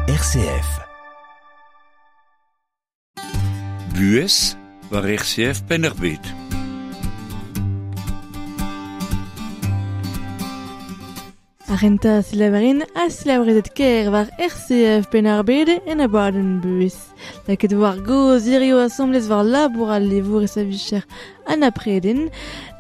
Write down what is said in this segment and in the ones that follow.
RCF. Buhez war RCF Penn-ar-Bed. Ar renta silaverin a silavrezet ker war RCF Penn-ar-Bed en abadenn buhez. Laket war goz hirio asamblez war labour al levour e savicher an apreden.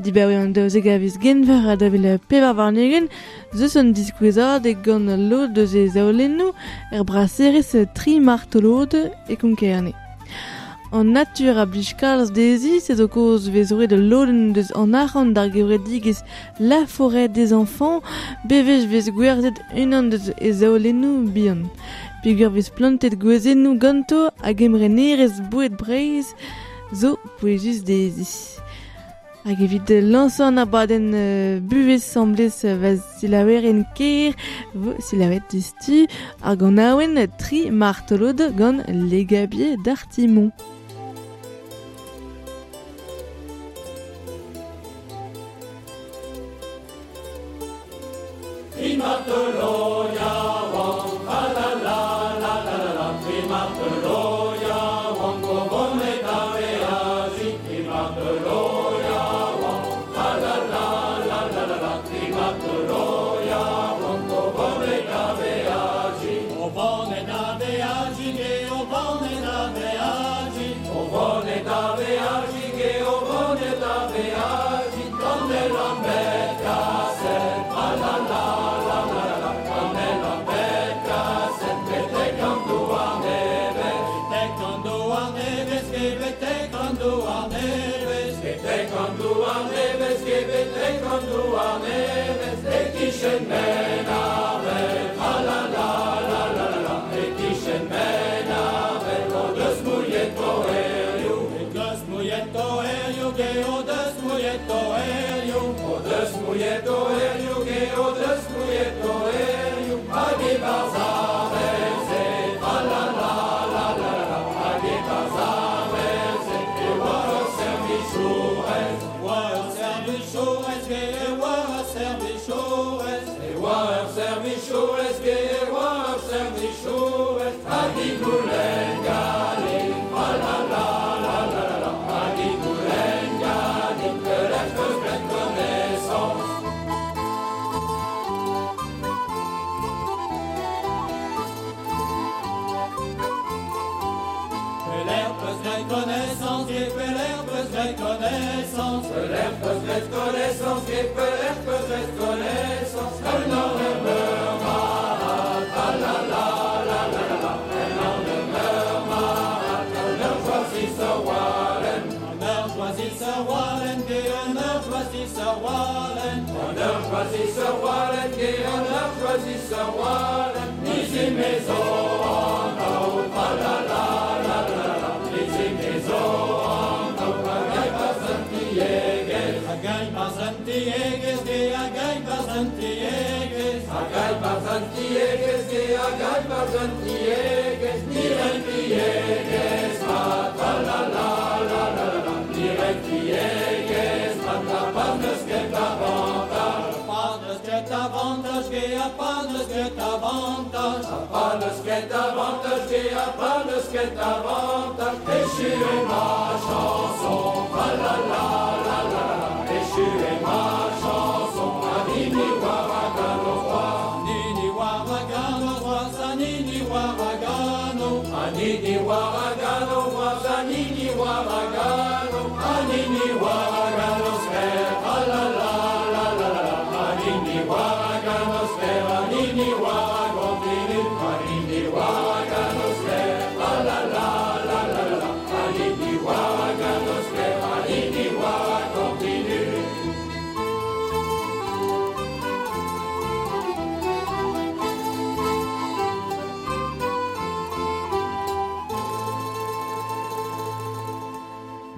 Dibaoe an daouzek a viz genver a davel pevar warnegen, zeus an diskouezad e gant lod deus e zaolennoù er braserez tri martolod e konkerne. An natur a blij kalz dezi, se zo koz vez roet lodenn deus an arc'hant d'ar gevredigezh La Forêt des Enfants, bevej vez gwerzhet unan deus e zaolennoù bihan. Peogwir vez plantet gwezennoù ganto hag emrenerezh boued Breizh zo pouezus dezi. Hag evit lañsañ an abadenn buhez samblez va silaoueren ker vo silaouet distu ar ganaouenn tri martolod gant Legabier d'Artimon.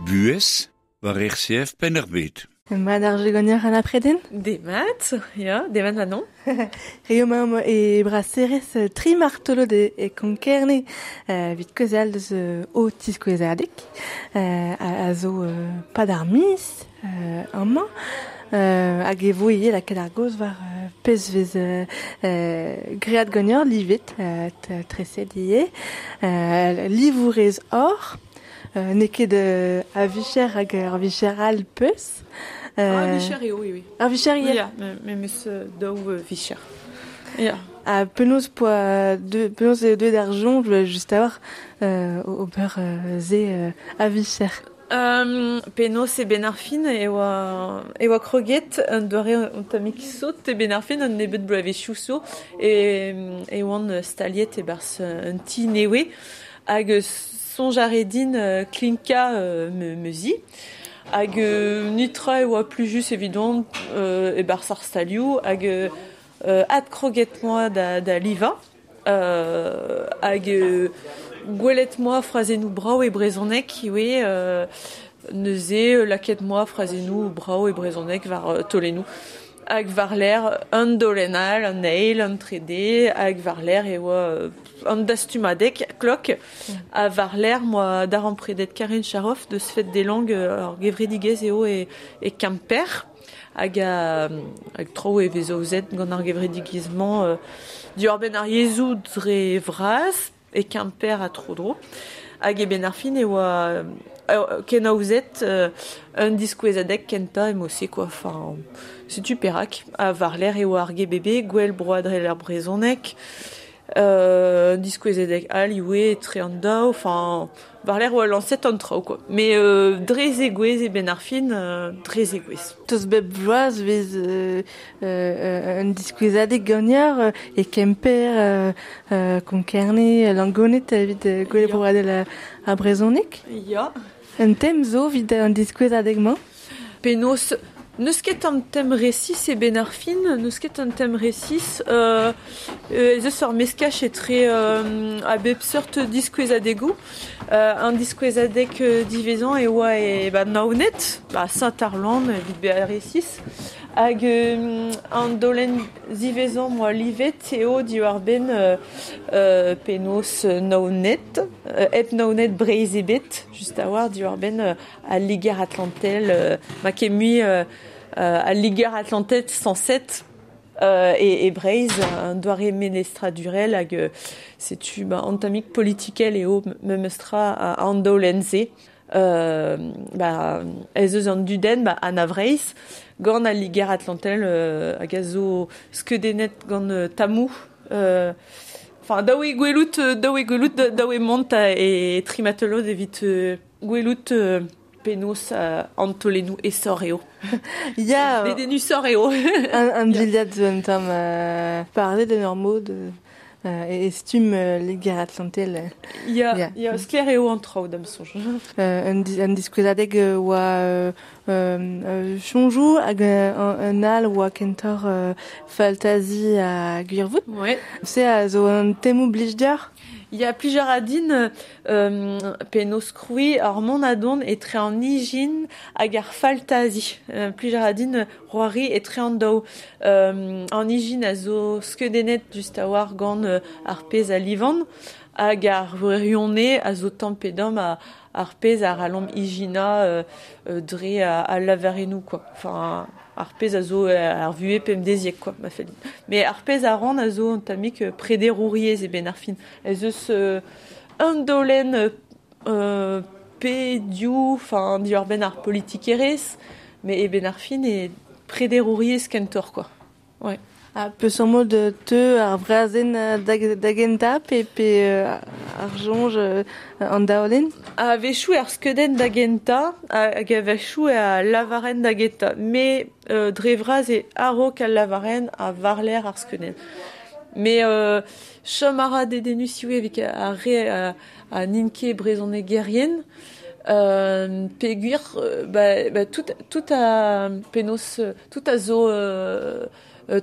Buhez war RCF Penn-ar-Bed. Mat ar jegonier an apreden? Demat, ya, demat Manon. Rio maom e braserez tri martolod e konkerne vit kaozeal deus o tiskouezadeg a zo pad ar miz amañ hag e vo ivez lakaat ar gaoz war pezh vez great ganeoc'h livet, treset ivez, livourez oc'h, n'eo ket a vicher hag ur vicher all peus. A vicher eo, oui, oui. Ar vicher ivez? Ya, me 'meus daou vicher. Ya. Ha penaos poa penaos eo deuet ar soñj just a-walc'h ober se a vicher? Penaos e benn ar fin e oa kroget un doare un tammig sot e benn ar fin un nebeud bloavezhioù zo e oan staliet e-barzh un ti nevez hag soñj a rae din klinkañ ma zi hag netra e oa plijus evidon e-barzh ar stalioù hag adkroget 'moa da livañ hag gwelet 'moa frazennoù brav e brezhoneg ivez, neuze lakaet 'moa frazennoù brav e brezhoneg war taolennoù. Hag war-lerc'h un daolenn all, an eil, an trede, hag war-lerc'h e oa an dastumadeg klok. Ha war-lerc'h 'moa darempredet Karine Charoff deus Fête des Langues, ur gevredigezh eo e Kemper. Hag hag traoù e vez aozet gant ar gevredigezh-mañ diwar-benn ar yezhoù dre vras e Kemper ha tro-dro. Hag e benn ar fin e oa kenaozet un diskouezadeg kentañ emo-se quoi. Enfin, setu perak. Ha war-lerc'h e oa ar GBB, Gouel Broadel ar Brezhoneg, diskouezadeg all ivez etre an daou. Enfin, war-lerc'h oa lañset an traoù quoi. Mais dre zegouezh e benn ar fin, dre zegouezh. Tost bep bloaz vez un diskouezadeg ganeoc'h e Kemper, Konk-Kerne, Langoned evit Gouel Broadel ar Brezhoneg? Ya. Un tem zo evit an diskouezadeg-mañ? Penaos n'eus ket an tem resis e benn ar fin, n'eus ket an tem resis, ez eus ur meskaj etre a bep seurt diskouezadegoù. An diskouezadeg diwezhañ e oa e ba Naoned, ba Saint-Arland evit bezañ resis. Hag an daolenn ziwezhañ 'moa livet eo diwar-benn penaos Naoned, hep Naoned Breizh ebet, just a-walc'h diwar-benn al Liger-Atlantel, ma ket mui al Liger-Atlantel sañset e Breizh, un doare melestradurel hag setu ba an tammig politikel eo memes tra an daolenn-se. Ba ez eus an dudenn ba Anna Vreizh gant al Liger-Atlantel hag a zo skeudennet gant tammoù. Enfin, daou eo gwelout, daou eo mont e Trimatelod evit gwelout penaos an taolennoù esor eo. Ya. Dedennusoc'h eo. Un dilhad zo un tamm parlet en ur mod e stumm Liger-Atlantel. Ya, ya, sklaer eo an traoù da'm soñj. Un diskouezadeg oa soñjoù hag un all oa kentoc'h faltazi ha gwirvoud. Ouais. Se a zo un temoù blij deoc'h? Ya, plij a ra din penaos krouiñ ar mont a-dont etre an ijin hag ar faltazi. Plij a ra din c'hoari etre an daou. An ijin a zo skeudennet just a-walc'h gant ar pezh a livan hag ar wirionez a zo tamm pe damm ar pezh a c'hallomp ijinañ dre al lavarennoù quoi. Enfin, ar pezh a zo ar vuhez pemdeziek quoi, ma fell din. Mais ar pezh a ran a zo un tammig prederouriezh e benn ar fin. Ez eus un daolenn pe div, enfin diwar-benn ar politikerezh, mais e benn ar fin e prederouriezh kentoc'h quoi. Ouais. Ha peseurt mod teu ar vrazenn da gentañ pe ar soñj an daolenn? A-wechoù ar skeudenn da gentañ hag a-wechoù al lavarenn da gentañ. Mais dre vras eo a-raok al lavarenn ha war-lerc'h ar skeudenn. Mais chom a ra dedennus ivez evit ar re a n'int ket brezhonegerien. Peogwir ba tout a penaos tout a zo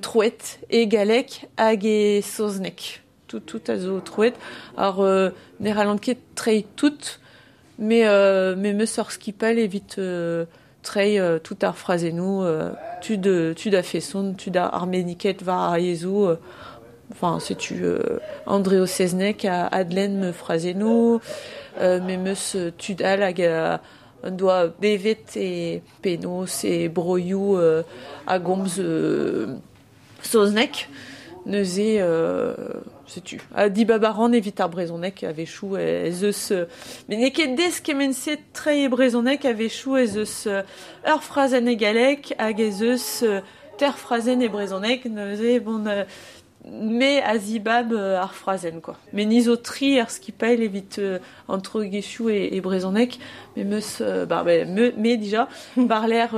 troet e galleg hag e saozneg. Tout a zo troet. Ar ne c'hallan ket treiñ tout, mais me 'meus ur skipailh evit treiñ tout ar frazennoù, tud a-feson, tud arbenniket war ar yezhoù. Enfin, setu Andreo Seznec a adlenn ma frazennoù, me 'meus tud all hag un doa bevet e penaos e broioù a gomz saoznek, neuze setu. A dibabaran evit ar brezhoneg a-wechoù ez eus met n'eo ket des kement-se treiñ e brezhoneg a-wechoù ez eus ur frazenn e galleg hag ez eus ter frazenn e brezhoneg, neuze bon me a zibab ar frazenn quoi. Me ni zo tri ar skipail evit an troegezhioù e brezhoneg, me meus me dija barler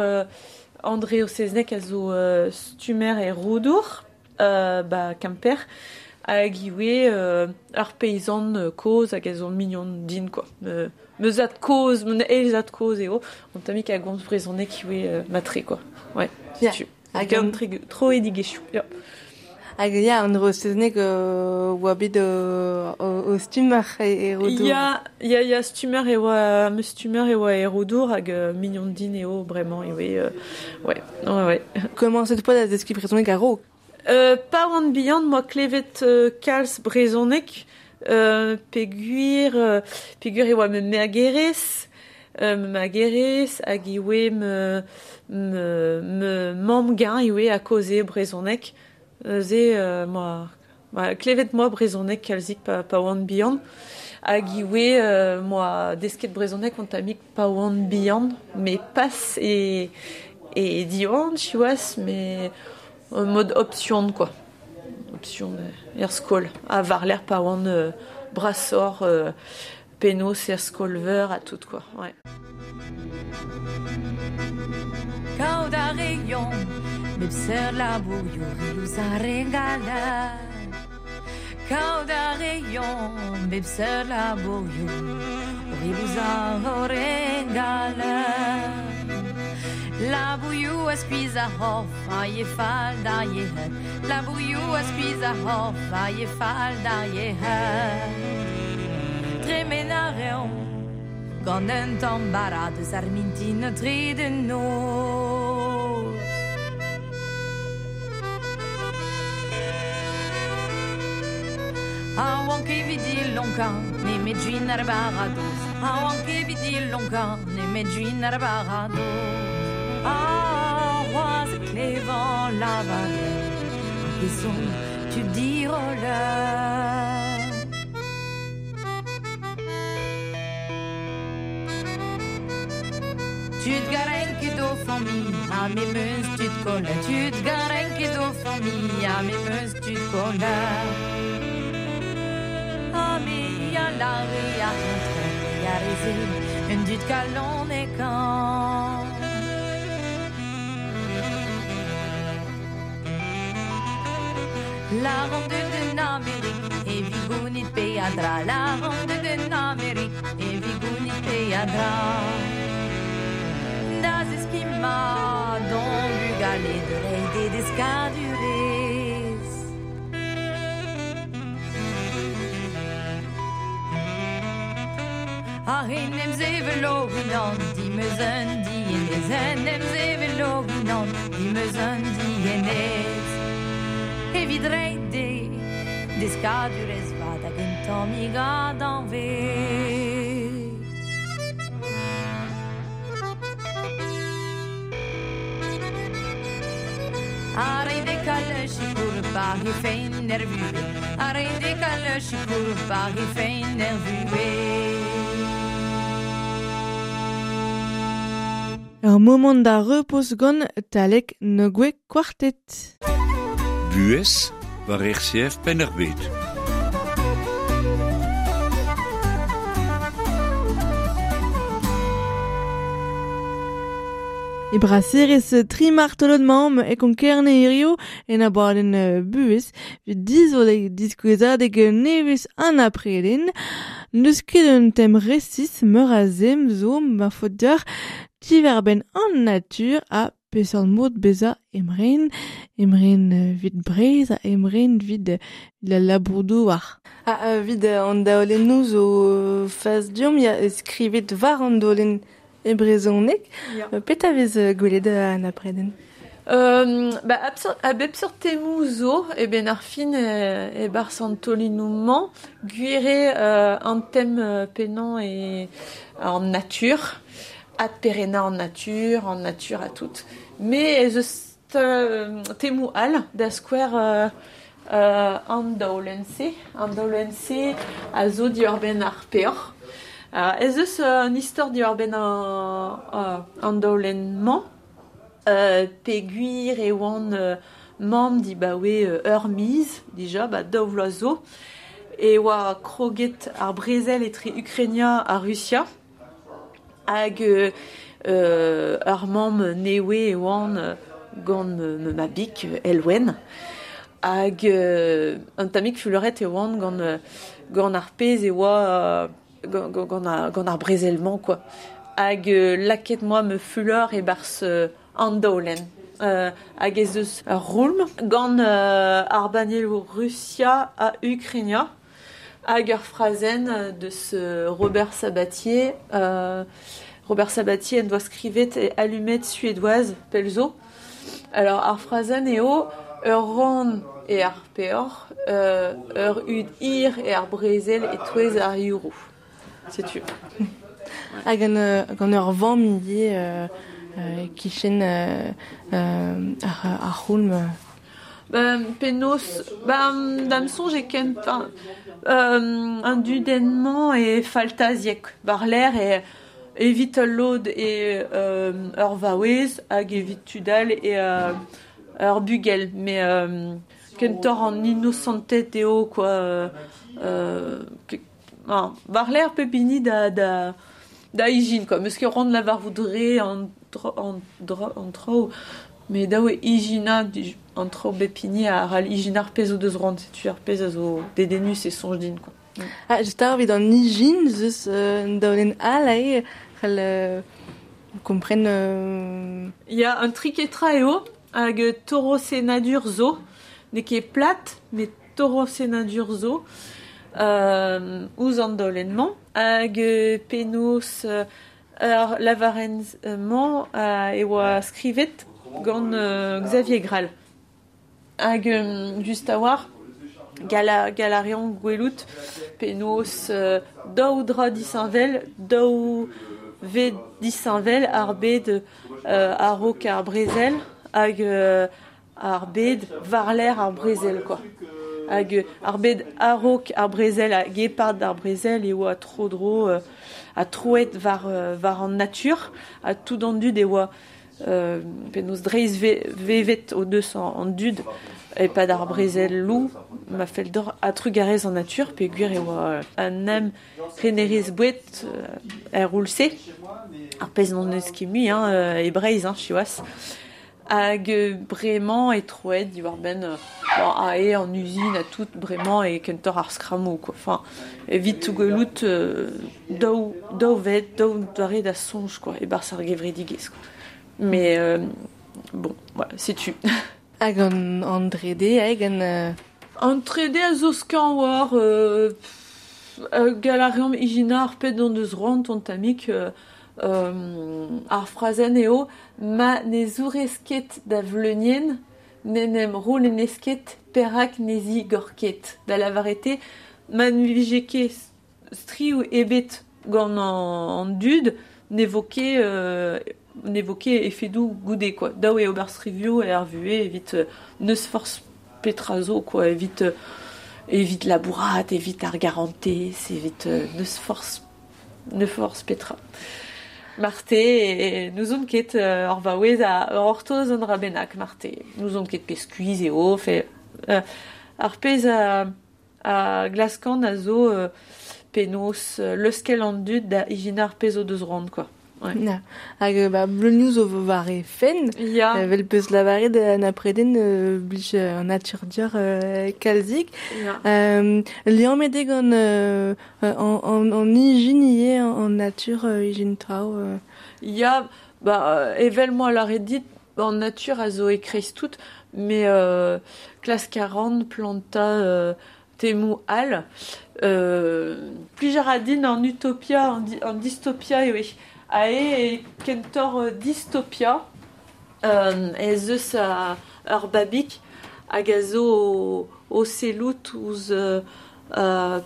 André Oseznek a zo stumer e Roudour, ba Kemper, hag iwe ur peizan kozh hag a zo mignon din quoi. Meus ad kozh, mon eil ad kozh eo, on tammik a gomz brezhoneg iwe matre quoi. Ouais, setu. Hag an troedigezhioù. Ya. Hag ya, an Oseznek oa bet o stumer e Roudour. Ya, stumer e oa, meus stumer e oa e Roudour hag mignon din eo bremañ iwe ouais. Komañset poa da zeskiñ brezhoneg a-raok? Pa oan bihan moa klevet kalz brezhoneg, peogwir e oa me magerez, hag iwe me mamm-gañ iwe a kaoze brezhoneg. Ze moa klevet moa brezhoneg kalzik pa oan bihan hag iwe moa desket brezhoneg on tammik pa oan bihan me pas e Diwan siwazh me mod option quoi. Option er skol a varler pa oan brasor penaos er skolveur ha tout quoi. Ouais. Kaout a reont bep seurt labourioù riouz ar regala. Kaout a reont bep seurt labourioù riouz ar regala. Labourioù a skuizh ar c'horf a ye fall d'ar yec'hed. Labourioù a skuizh ar c'horf a ye fall d'ar yec'hed. Tremen a reont gant un tamm bara deus ar mintin tre de noz. A oan ket evit dilonkañ nemet gwin ar baradoz. A oan ket evit dilonkañ nemet gwin ar baradoz. A c'hoazh klevan lavaret hag e son tud diroller. Tud garen ket o familh, ha me meus tud koller. Tud garen ket o familh, ha me meus tud koller. Ha me a lare a entre a reze, un dud kalon e kan. La ronde de Amérique, e vigounit peadra. La ronde de Amérique, e vigounit peadra. Da zeskima don bugale de reide deskadurez. Ar en em zevelo unan, dimeus un dienez. En em zevelo unan, dimeus un dienez. Evit reide deskadurez vat hag un tammig adanvez. A reide kalle chikour par he fein nervue. A reide kalle chikour par he fein nervue. Ur moment da repos gant Talek Nogwe Quartet. Buhez war RCF Penn-ar-Bed. E braserez tri martolod mamm e konkerne hirio en abadenn buhez evit dizole diskouezadeg nevez an apreden. N'eus ket un tem resis meur a zem zo ma faot deoc'h diwarbenn an natur ha peseurt mod bezañ emren, emren vid Breizh ha emren vid la labour-douar. Ha vid an daolennoù zo fas diomp ya skrivet war an daolenn e brezhoneg. Petra vez gwelet an apreden? A bep seurt temoù zo e ben ar fin e barzh an taolennoù-mañ gwir eo an tem pennañ e an natur, adperennañ an natur a tout. Mais ez eus Temou al da skwer an daolenn-se a zo diwar-benn ar peoc'h. Ez eus un istor diwar-benn an daolenn-mañ, peogwir e oan mamm dibaoe ur miz dija, ba 2 vloaz zo, e oa kroget ar brezel etre Ukrainia ha Rusia, hag ur mamm newe e oan gant ma bik Elwen, hag un tammig fuloret e oan gant ar pezh e oa gant ar brezel-mañ quoi. Hag lakaet moi me fulor e-barzh an daolenn. Hag ez eus ur roulm gant ar bannieloù Rusia ha Ukrainia hag ur frazenn deus Robert Sabatier. Robert Sabatier en doa skrivet e Allumette suédoise pell zo. Alors ar frazenn eo ur rann e ar peoc'h, ur hud hir e ar brezel e-touez ar yourou. Setu. Hag gant ur vamm ivez kichen ar c'houlm. Penaos, da'm soñj e kentañ an dudenn-mañ e faltaziek war-lerc'h e evit ul lod e ur vaouez hag evit tud all e ur bugel. Mais kentoc'h an inosanted eo quoi. War-lerc'h pep hini da ijin quoi. Meus ket c'hoant lavarout re an traoù, met dav eo ijinañ an traoù bep hini a ral ijinañ ar pezh o deus c'hoant, setu ar pezh a zo dedennus e soñj din quoi. Ah, just ar evit an ijin, zeus un daolenn all ae, c'hell kompren... Ya, un triketra eo, hag torosennadur zo, n'eo ket plat, met torosennadur zo, ouzh an daolenn-mañ, hag penaos ar lavarenn-mañ e oa skrivet gant Xavier Grall. Hag just a-walc'h, galarian gwelout penaos daou dra disheñvel, daou ved disheñvel ar bed a-raok ar brezel hag ar bed war-lerc'h ar brezel quoi. Hag ar bed a-raok ar brezel hag e-pad ar brezel e oa tro-dro ha troet war an natur ha tout an dud e oa penaos dreist vevet o deus an dud e-pad ar brezel-lou ma fell d'or a trugarez an natur peogwir e oa an em renerez boued er roul-se ar pezh n'on eus ket mui hein, e Breizh hein, siwazh. Hag bremañ e troet diwar-benn ae an uzin ha tout bremañ e kentoc'h ar skrammoù quoi. Enfin, evit gwelout daou ved, daou doare da soñj quoi, e-barzh ar gevredigezh quoi. Mais bon, voilà, setu. Hag an drede, hag an... An trede a zo skañv war galarian ijinañ ar pet an deus c'hoant an tammig ar frazenn eo ma ne zourez ket da vleunienn, n'en em roulennez ket perak ne zigor ket. Da lavaret ma ne vije ket striv ebet gant an dud, ne vo ket efedoù goude quoi. Dav eo ober strivioù er vuhez evit n'eus forzh petra zo quoi, evit labourat, evit ar garantez, evit n'eus forzh petra. Marte, n'ouzon ket ur vaouez a ur ortoz an dra bennak, marte. N'ouzon ket pe skuizh eo, fe ar pezh a glaskan a zo penaos leuskel an dud da ijinañ ar pezh o deus c'hoant quoi. Ouais. Na. Hag bleunioù zo war e fenn, Ya. Vel peus lavaret an apreden blij an natur dior kalzik. Ya. Liammet eo gant an ijin ivez, an natur ijin traoù. Ya, evel moi lavaret dit, an natur a zo e-kreiz tout, mais klask a ran plantañ temoù all. Plij a ra din an utopia, an dystopia eo. Ae e kentoc'h dystopia, ez eus ur babig hag a zo o sellout ouzh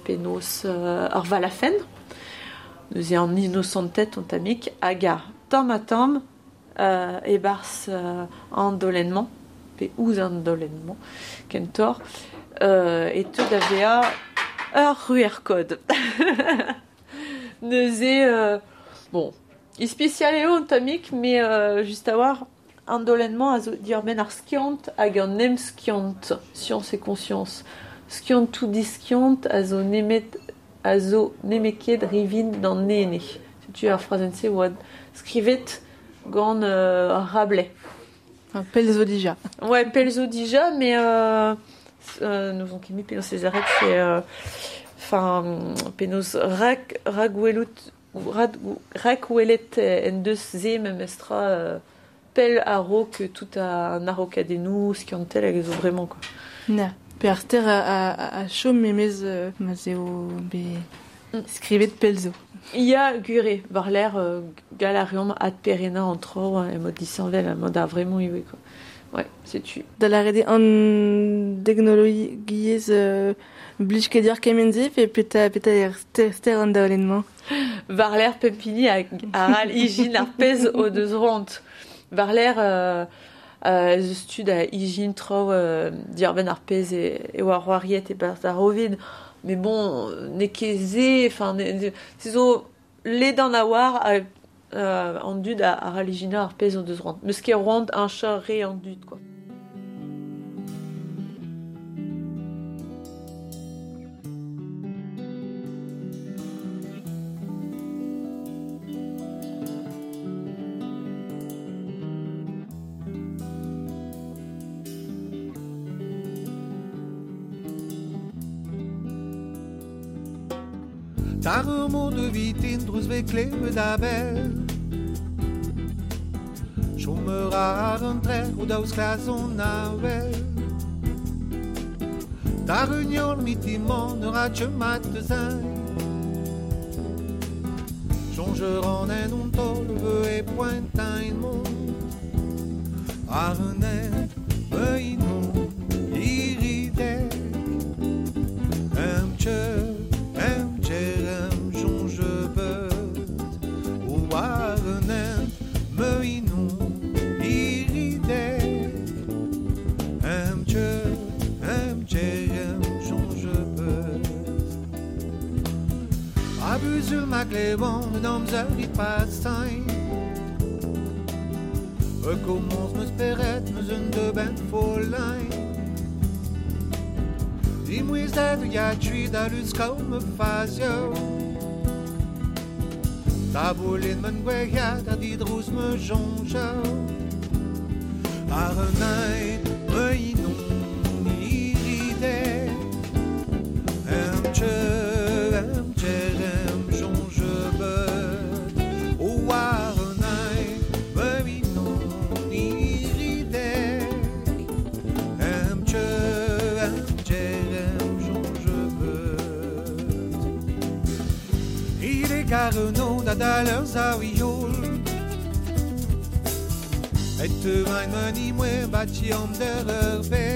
penaos ur valafenn. Neuze an inosanted an tammig hag a tamm ha tamm e-barzh an daolenn-mañ. pe ouzh an daolenn-mañ kentoc'h e teu da vezañ ur c'hwec'hkod. Neuze, bon, ispisial eo an tammig, met just a-walc'h an daolenn-mañ a zo diwar-benn ar skiant hag an emskiant, science et conscience. Skiantoù diskiant a zo nemet a zo nemet rivin d'an ene. Setu ar frazenn-se oa skrivet gant Rabelais. Enfin, pell zo dija. Ouais, pell zo dija, mais nous on ket penaos ez arret, c'est enfin penaos rak ragwelout rakwelet en deus se memestra pell a-raok tout an a-raokadennoù skiantel hag zo vraiment quoi. Na, pe ar ster a chom memez ma eo be skrivet pell zo. Ya gure, war l'air gal a reomp adperennañ an tro e mod disheñvel a mod ar vraiment ivez quoi. Ouais, setu. Da lâret eo an deknologiezh blij ket deoc'h kement-se pe petra eo ster an daolenn-mañ? War l'air pep hini a ral ijin ar pezh o deus roant. War l'air ez eus tud a ijin traoù diwar-benn ar pezh e oa c'hoariet e-barzh ar Rovid. Mais bon, n'eo ket se, enfin, se zo ledan a-walc'h an dud a ral ijinañ ar pezh o deus roant. Meus ket roant heñchañ re an dud, quoi. Tar mod de vitin drouz ve klevet a bell. Chom ar an trec'h o daouz klazon a wel. Tar union mitimant ne rat mat zain. Sonjer an en on tol veu e pointin mont. Ar un en inon iridek. Em tcheu ma glevon un amzer i pasain. Rekommence me speret meus un de ben folain. Dimouizet ya tui da lus kaou me fazio. Taboulin men gwec'hiad a didrouz me jonjo. Ar un ein me inon iridek. Em tcheu, em tcherem jonge beut. O ar un ein me inon iridek. Em tcheu, em tcherem jonge beut. Il est gareno da daleur zaouiol. Et te vain meni mwen bati am der ur be.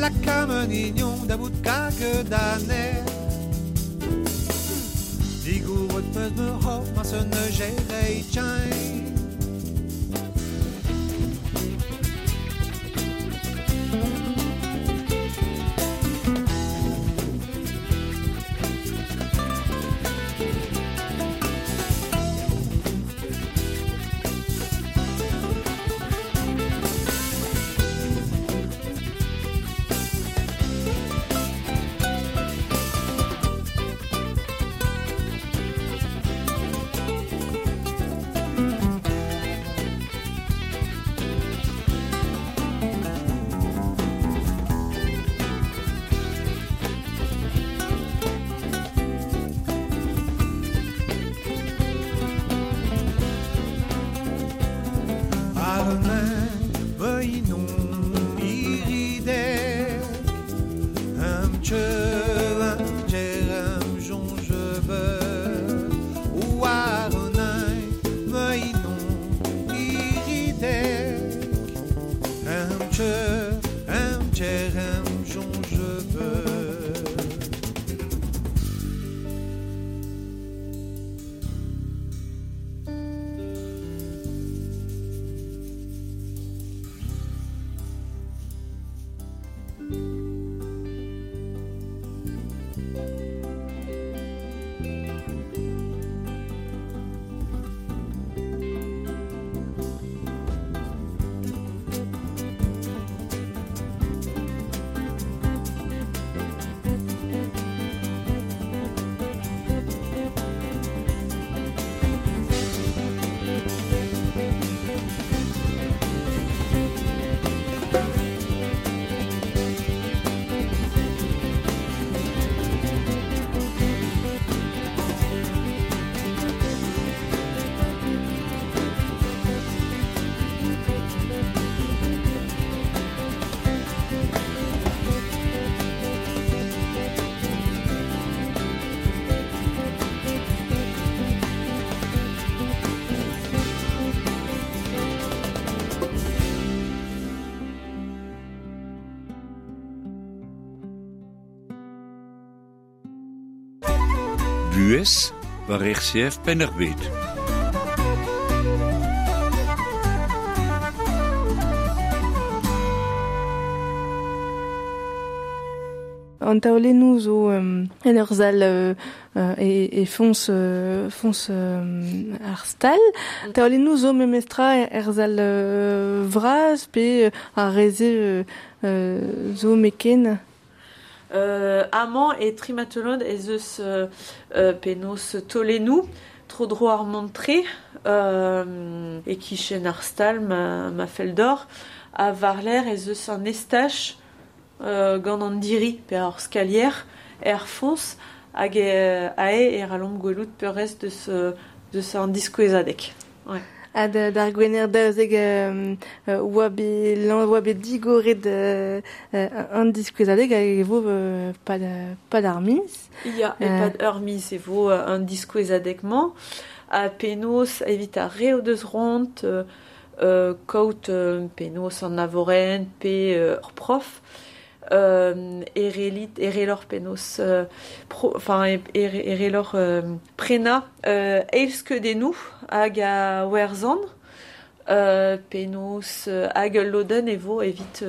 La kamen ignon da bout kage da ner. Digourot peus me hop ma se ne gerei tchain. Buhez war RCF Penn-ar-Bed. An taolennoù zo en ur sal e foñs ar stal. Taolennoù zo memestra er sal vras pe ar reze zo meken. Amañ e Trimatelon ez eus penaos taolennoù tro-dro ar mont-tre e kichen ar stal ma fell d'or ha war-lerc'h ez eus an estaj gant an diri pe ar skalier er foñs hag ae e ralomp gwelout peurrest deus an diskouezadeg. Ouais. Ha d'ar gwener daouzek oa bet digoret an diskouezadeg hag e vo pad ar miz. Ya, e pad ur miz e vo an diskouezadeg-mañ ha penaos evit ar re o deus ront kaout penaos an avorenn pe ur prof erelor penaos erelor prena eilskeudennoù hag a werzhan penaos hag ul lodenn e vo evit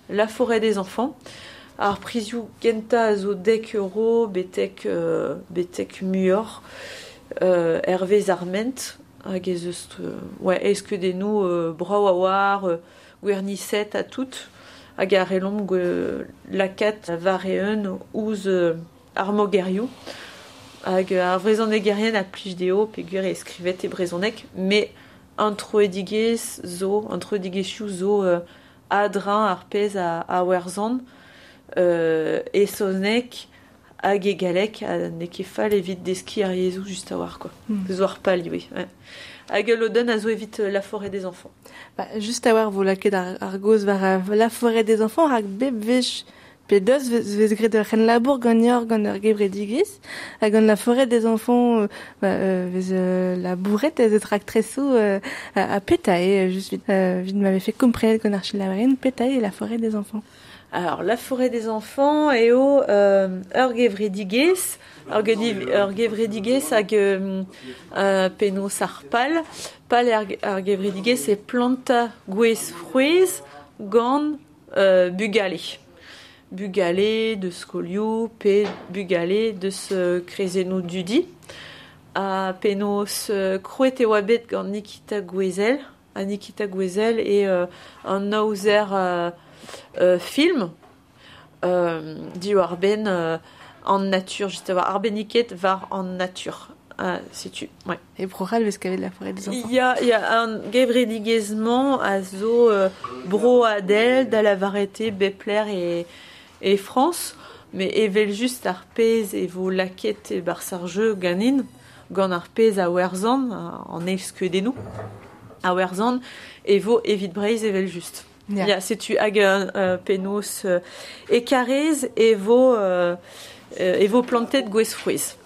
la forêt des enfants. Ar prizioù gentañ a zo dek euro betek muioc'h hervez ar ment hag ez eus eilskeudennoù brav a war gwerniset ha tout. Hag ar relomp lakaat war eeun ouzh ar mogerioù hag ar vrezhonegerien a plij dezho peogwir e skrivet e brezhoneg met an troidigezh zo an troidigezhioù zo a-dreñv ar pezh a werzhan e saozneg hag e galleg ha n'eo ket fall evit deskiñ ar yezhoù just a-walc'h quoi. Zo ar pal ivez. Ouais. Hag ul lodenn a zo evit la forêt des enfants. Ba, just a-walc'h vo lakaet ar gaoz war la forêt des enfants rak bep wech pe deus vez graet ur c'henlabour ganeoc'h gant ur gevredigezh hag gant la forêt des enfants vez labouret ez eus raktresoù ha petae just vit m'avait fait komprenet gant ar chilaouerien petae la forêt des enfants. Alors, la forêt des enfants eo ur gevredigezh, ur gevredigezh hag penaos ar pal. Pal ar gevredigezh e planta gwez frouezh gant bugale. Bugale de skolioù pe bugale deus krezennoù dudi. Ha penaos krouet e oa bet gant Nikita Gouezel. Ha Nikita Gouezel e an aozer film diwar-benn an natur, just a war arbenniket war an natur. Setu, ouais. E Bro-C'hall vez kavet la forêt des enfants. Ya, an gevredigezh-mañ a zo broadel da la varete bepler e France, mais evel just ar pezh e vo lakaet e barzh ar jeu ganin, gant ar pezh a werzhan, an eilskeudennoù a werzhan, e vo evit Breizh evel just. Yeah. Ya, setu hag penaos e karrez e vo plantet gwez frouezh.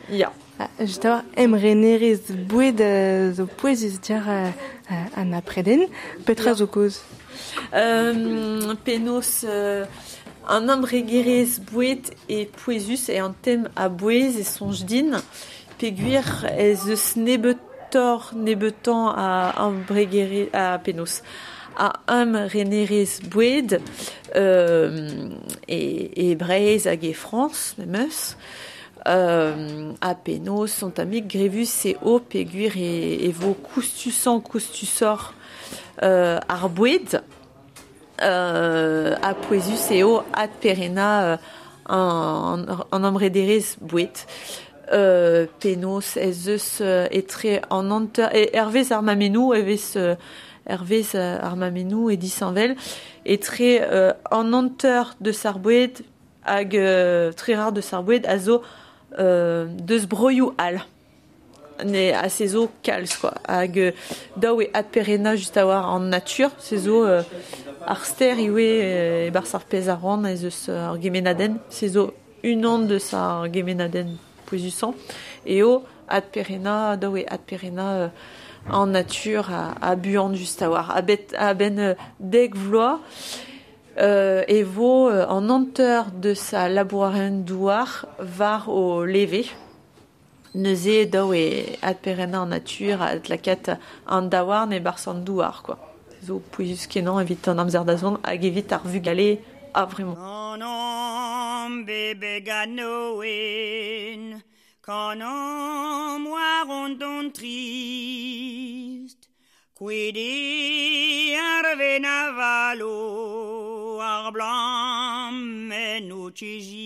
Ya. Just a-walc'h emrenerezh boued zo pouezus diàr an apreden. Petra zo kaoz? Penaos an embregerezh boued e pouezus e an tem a bouez e soñj din peogwir ez eus nebeutoc'h nebeutañ a embregerezh a penaos a emrenerezh boued e Breizh hag e Frañs memes a penaos sont amik grevus e o peogwir e vo koustusañ koustusoc'h ar boued a pouezus eo adperena an emrederezh boued penaos ez eus etre an hanter hervez ar mammennoù evez hervez ar mammennoù e disheñvel etre an hanter deus ar boued hag tre rar deus ar boued a zo deus broioù all. Ne a se zo kalz quoi. Hag daou e adperena just a-walc'h an natur, se zo ar ster ivez e barzh ar pezh a ran ez eus ar gemenadenn, se zo unan deus ar gemenadenn pouezusañ eo adperena, daou e adperena an natur a buan just a-walc'h. A-benn dek vloaz e vo an hanter deus a labourerien douar war o leve. Neuze daou e adperennañ an natur, adlakat an daouarn e barzh an douar, quoi. Zo pouezus kenañ evit an amzer da zont hag evit ar vugale a vraiment. Kanomp bebeg a-noen, kanomp war an don trist, Kwede ar venavalo ar blam en o tchegist.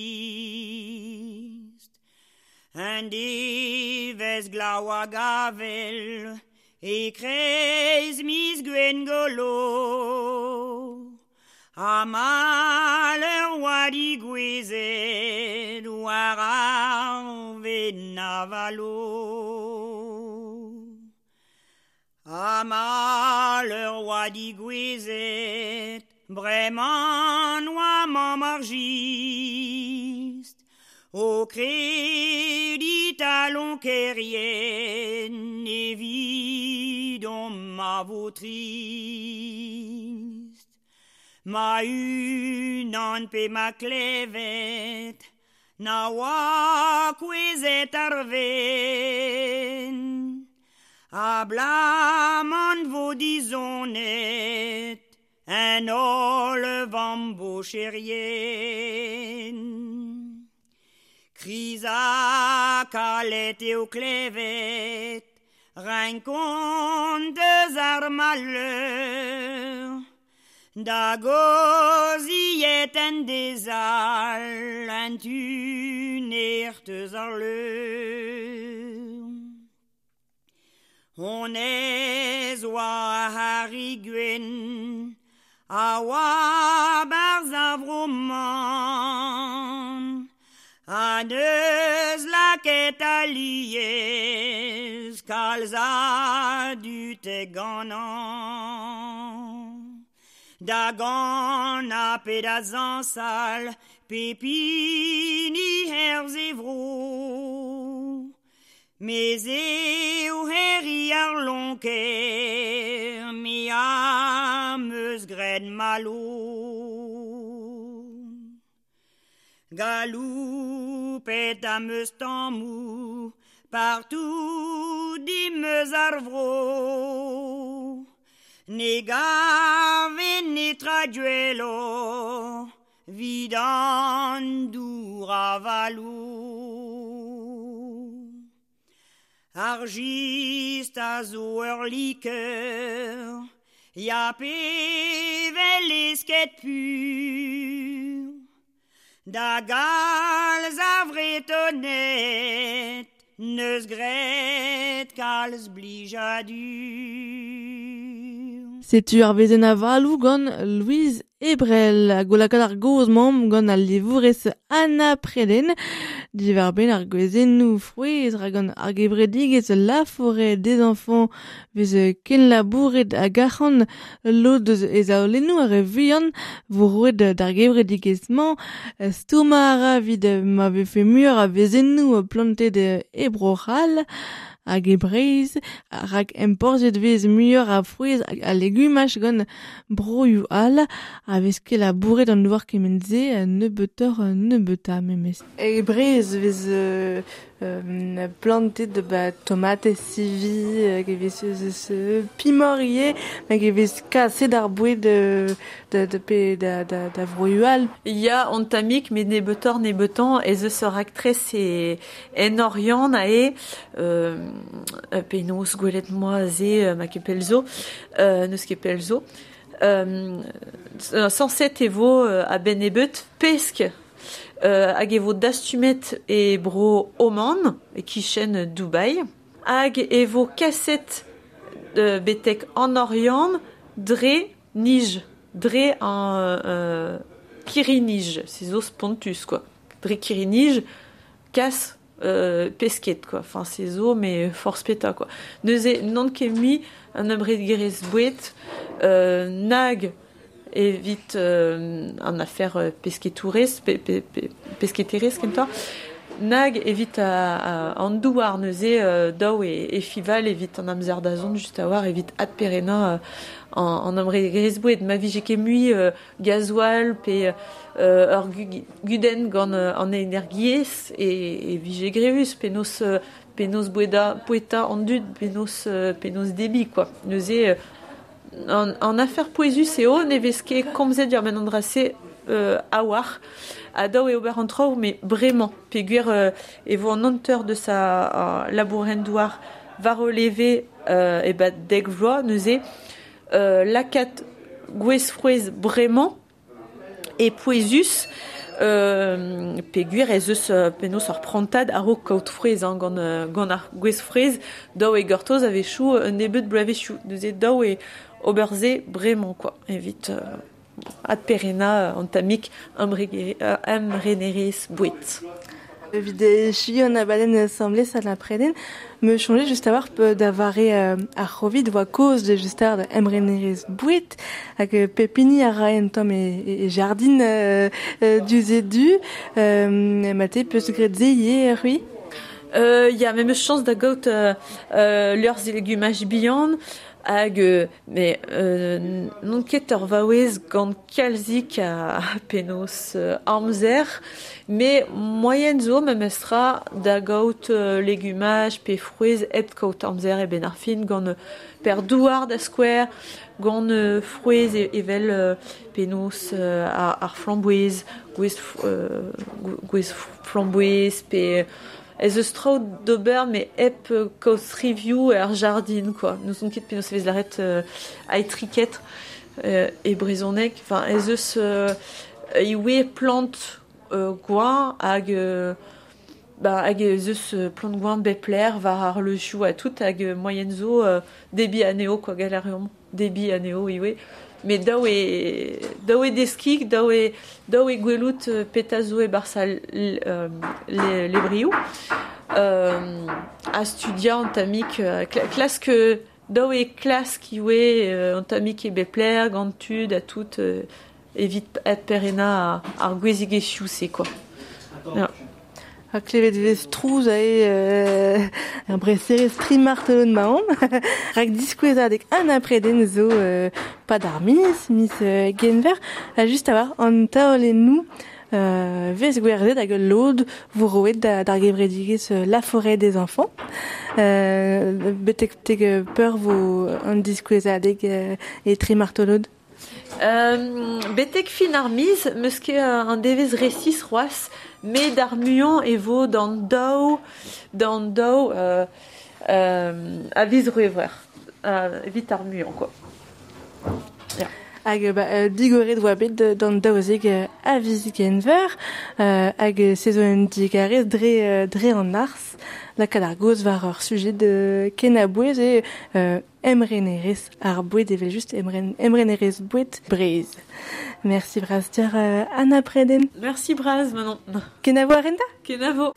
Un devez glaou hag avel e kreiz miz gwengolo. Ha maleur oa digouezet war ar venavalo. Ha maleur oa digouezet, bremañ oa mamm ar jist. O kredi talon kerien evidon ma vo trist. Ma unan pe ma klevet, na oa kouezet ar ven. A blamant vo dizonet, en holl vambo cherien. Kriz ha kalet eo klevet, renkont deus ar malheur. Da goziet en dezal, an tuner teus ar leur. On ez oa ar gwen, a oa barz a vroman, a neus laket aliez, kalz a dut e ganan. Da gant a pe da zañsal, pepini herz e vro. Mez eo herri ar lonker, me am eus graet malo. Galoupet am eus tammou, partout dimeus ar vro. Ne gave netra duelo, vid an dour avalou. Ar jist a zo ur likeur, ya pe vel esket pur. Da galz a vretonet, neus graet kalz blijadur. Setu ar vezen avalou gant Louise Ebrel, hag o lakaat ar goz mamm gant al livourez Anna Preden, diwar benn ar gwezennoù frouezh ra gant ar gevredigezh La Forêt des Enfants vez ken labouret hag arc'hant lod eus e zaolennoù ar re vuian vo roet d'ar gevredigezh-mañ stourmañ a ra evit ma vefe muioc'h a vezennoù plantet e Bro-C'hall hag e Breizh, rak emporzhiet vez muioc'h a frouezh hag a legumaj gant broioù all a vez ket labouret an douar kement-se nebeutoc'h nebeutañ memes. E Breizh vez plantet ba tomatez sivi, hag e vez eus pimor ivez, hag e vez kaset ar boued da pe da vroioù all. Ya an tammig met nebeutoc'h nebeutañ ez eus ur raktres e en Oriant ae penaos gwelet moa aze ma ket pell zo, n'eus ket pell zo. Sañset e vo a-benn nebeut pesk hag e vo dastumet e bro Oman, e kichen Dubai, hag e vo kaset betek an Oriant dre nij, dre an kirri-nij, se zo spontus quoi. Dre kirri-nij, kas pesket quoi. Enfin se zo mais forzh petra quoi. Neuze n'on ket mui an embregerezh boued nag evit an afer pesketourez, pe, pe, pe, pesketerez kentoc'h, Nag evit an douar neuze daou e fival evit an amzer da zont just a war evit adperena an amregerezh boued. Ma vije ket mui gazoal pe ur gudenn gant an energiezh e vije grevus penaos boueta an dud, penaos debi quoi. Neuze an afer pouezus eo ne vez ket komzet diwar benn an dra-se a war a daou e ober an traoù mais bremañ peogwir e vo an hanter deus a labourenn douar war o leve e bad dek vloaz neuze lakaat gwez frouezh bremañ e pouezus peogwir ez eus penaos ur prantad a-raok kaout frouezh hein, gant ar gwez frouezh daou e gortoz a-wechoù un nebeud bloavezhioù neuze daou e ober se bremañ quoi evit adperena an tammig emrenerezh boued. Evit echuiñ an abadenn asambles a la preden, me soñje just a-walc'h da vare ar C'hovid oa kaoz da just ar emrenerezh boued hag pep hini a rae un tamm e jardin diouzh e du. Mate peus graet se ivez, c'hwi? Ya, me 'meus chañs da gaout liorzh legumaj bihan hag mais n'on ket ur vaouez gant kalzik a penaos amzer, mais moaien zo memestra da gaout legumaj pe frouezh hep kaout amzer e benn ar fin gant per douar da skouer, gant frouezh evel penaos ar flamboez, gwez flamboez pe ez eus traoù d'ober mais hep kaout rivioù er jardin quoi. N'ouzon ket penaos e vez lâret aetriket e brezhoneg. Enfin, ez eus ivez plant gwañ hag hag ez eus plant gwañ bep lec'h war ar leuzioù ha tout hag moaien zo debriñ anezho quoi, gall a reomp debriñ anezho ivez. Mais daou e deskiñ, daou e gwelout petra zo e-barzh al levrioù. A studiañ an tammig klask daou e klask ivez an tammig e bep lec'h gant tud ha tout evit adperennañ ar gouezigezhioù-se quoi. Ja. Ha klevet vez trouz ae ar breserezh tri martolod maon. Rak diskouezadeg an apreden zo pad ar miz genver, ha just a war an taolennoù vez gwerzhet hag ul lod vo roet d'ar gevredigezh La Forêt des Enfants. Betek peur vo an diskouezadeg e tri martolod? Betek fin ar miz, meus ket an devezh resis c'hoazh, met ar muiañ e vo d'an daou a viz C'hwevrer, evit ar muiañ quoi. Yeah. Hag digoret oa bet d'an daouzek a viz Genver, hag se zo un digarez dre an arz, lakaat ar gaoz war ur sujet ken a-bouez e emrenerezh ar boued evel just emrenerezh boued Breizh. Merci bras dir Anna Preden. Merci bras Manon. Kenavo arenta? Kenavo.